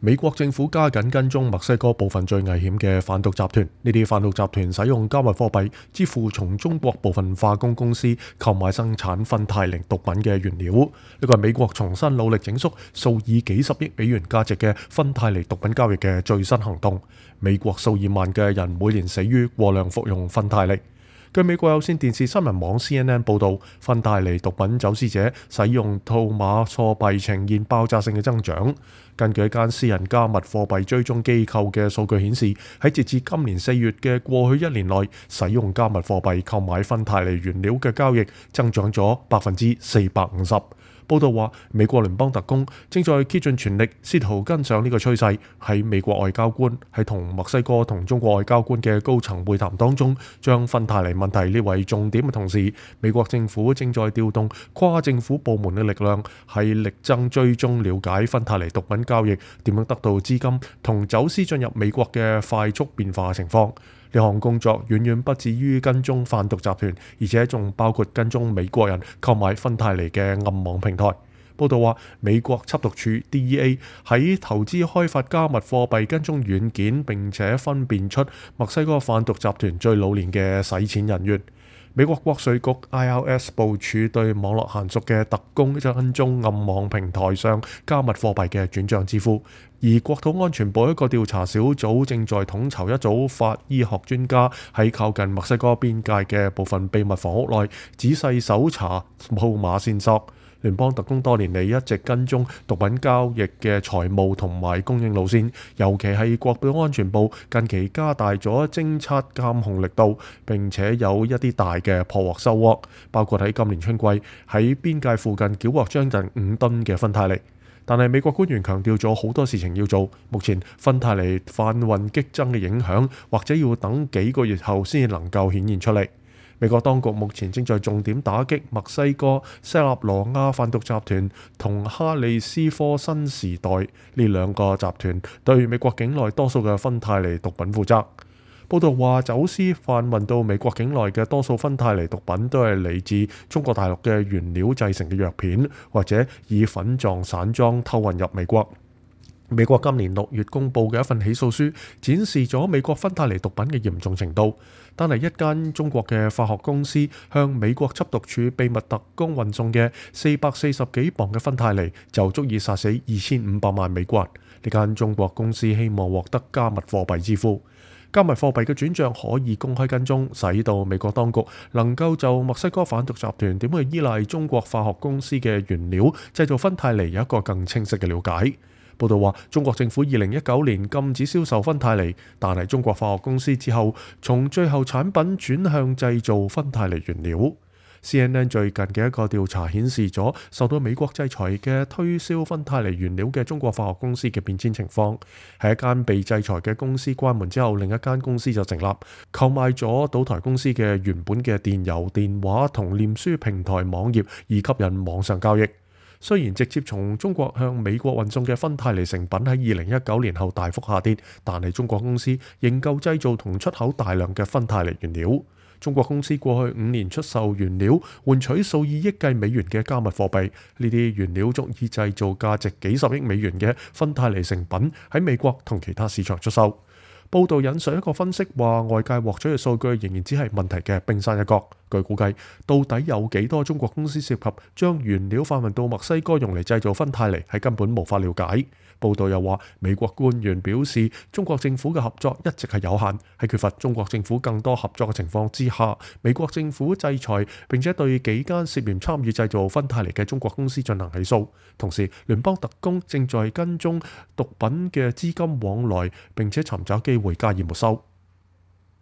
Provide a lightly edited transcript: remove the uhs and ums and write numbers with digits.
美國政府加緊跟蹤墨西哥部分最危險嘅販毒集團，呢啲販毒集團使用加密貨幣支付從中國部分化工公司購買生產芬太寧毒品嘅原料。呢個係美國重新努力整肅數以幾十億美元價值嘅芬太尼毒品交易嘅最新行動。美國數以萬嘅人每年死於過量服用芬太尼。據美國有線電視新聞網 CNN 報導，芬太尼毒品走私者使用數碼貨幣呈現爆炸性嘅增長。根據一間私人加密貨幣追蹤機構嘅數據顯示，喺截至今年4月嘅過去1年內，使用加密貨幣購買芬太尼原料嘅交易增長咗450%。報道話，美國聯邦特工正在竭盡全力試圖跟上呢個趨勢。喺美國外交官喺同墨西哥同中國外交官嘅高層會談當中，將芬太尼問題列為重點嘅同時，美國政府正在調動跨政府部門嘅力量，係力爭追蹤了解芬太尼毒品交易點樣得到資金同走私進入美國嘅快速變化情況。呢項工作遠遠不止於跟蹤販毒集團，而且仲包括跟蹤美國人購買芬太尼嘅暗網平台。報道話，美國緝毒處 DEA 喺投資開發加密貨幣跟蹤軟件，並且分辨出墨西哥販毒集團最老練嘅洗錢人員。美國國稅局 IRS 部署對網絡嫻熟嘅特工跟蹤暗網平台上加密貨幣嘅轉帳支付，而國土安全部一個調查小組正在統籌一組法醫學專家喺靠近墨西哥邊界嘅部分秘密房屋內仔細搜查數碼線索。聯邦特工多年嚟一直跟蹤毒品交易嘅財務同埋供應路線，尤其係國土安全部近期加大咗偵測監控力度，並且有一啲大嘅破獲收穫，包括喺今年春季喺邊界附近繳獲將近5噸嘅芬太尼。但係美國官員強調咗好多事情要做，目前芬太尼販運激增嘅影響，或者要等幾個月後先至能夠顯現出嚟。美國當局目前正在重點打擊墨西哥塞納羅亞販毒集團同哈利斯科新時代呢兩個集團對美國境內多數嘅芬太尼毒品負責。報道話，走私販運到美國境內嘅多數芬太尼毒品都係嚟自中國大陸嘅原料製成嘅藥片，或者以粉狀散裝偷運入美國。美國今年6月公佈嘅一份起訴書展示咗美國芬太尼毒品嘅嚴重程度。單係一間中國嘅化學公司向美國緝毒處秘密特工運送嘅440幾磅嘅芬太尼就足以殺死2500萬美國人。呢間中國公司希望獲得加密貨幣支付。加密貨幣嘅轉帳可以公開跟蹤，使到美國當局能夠就墨西哥販毒集團點去依賴中國化學公司嘅原料製造芬太尼有一個更清晰嘅了解。報道話，中國政府2019年禁止銷售芬太尼，但係中國化學公司之後從最後產品轉向製造芬太尼原料。CNN 最近嘅一個調查顯示咗受到美國制裁嘅推銷芬太尼原料嘅中國化學公司嘅變遷情況。喺一間被制裁嘅公司關門之後，另一間公司就成立，購買咗賭台公司嘅原本嘅電郵、電話同臉書平台網頁，以吸引網上交易。雖然直接從中國向美國運送嘅芬太尼成品喺2019年後大幅下跌，但係中國公司仍舊製造同出口大量嘅芬太尼原料。中國公司過去5年出售原料，換取數以億計美元嘅加密貨幣。呢啲原料足以製造價值幾十億美元嘅芬太尼成品喺美國同其他市場出售。報道引述一個分析話，外界獲取嘅數據仍然只係問題嘅冰山一角。據估計，到底有幾多中國公司涉及將原料販運到墨西哥用嚟製造芬太尼，係根本無法了解。報道又話，美國官員表示，中國政府嘅合作一直係有限，喺缺乏中國政府更多合作嘅情況之下，美國政府制裁並且對幾間涉嫌參與製造芬太尼嘅中國公司進行起訴。同時，聯邦特工正在跟蹤毒品嘅資金往來，並且尋找機會加以沒收。